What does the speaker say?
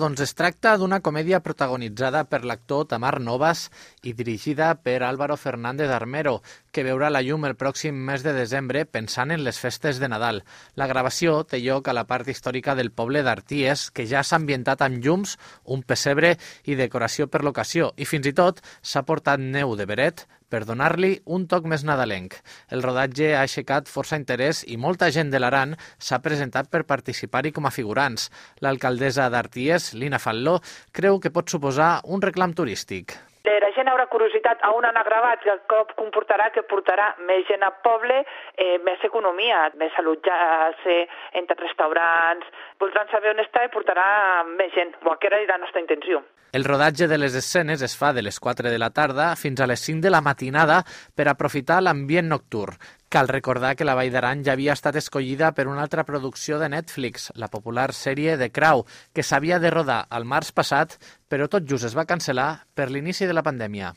Doncs es tracta d'una comèdia protagonitzada per l'actor Tamar Novas i dirigida per Álvaro Fernández Armero, que veurà la llum el pròxim mes de desembre pensant en les festes de Nadal. La gravació té lloc a la part històrica del poble d'Arties, que ja s'ha ambientat amb llums, un pessebre i decoració per l'ocasió, i fins i tot s'ha portat neu de beret per donar-li un toc més nadalenc. El rodatge ha aixecat força interès i molta gent de l'Aran s'ha presentat per participar-hi com a figurants. L'alcaldessa d'Arties, Lina Falló, creu que pot suposar un reclam turístic. La gent haurà curiositat a on han gravat, que cop comportarà que portarà més gent al poble, més economia, més allotjar-se entre restaurants, voldran saber on està i portarà més gent, que era la nostra intenció. El rodatge de les escenes es fa de les 4 de la tarda fins a les 5 de la matinada per aprofitar l'ambient nocturn. Cal recordar que la Vall d'Aran ja havia estat escollida per una altra producció de Netflix, la popular sèrie The Crown, que s'havia de rodar al març passat, però tot just es va cancel·lar per l'inici de la pandèmia.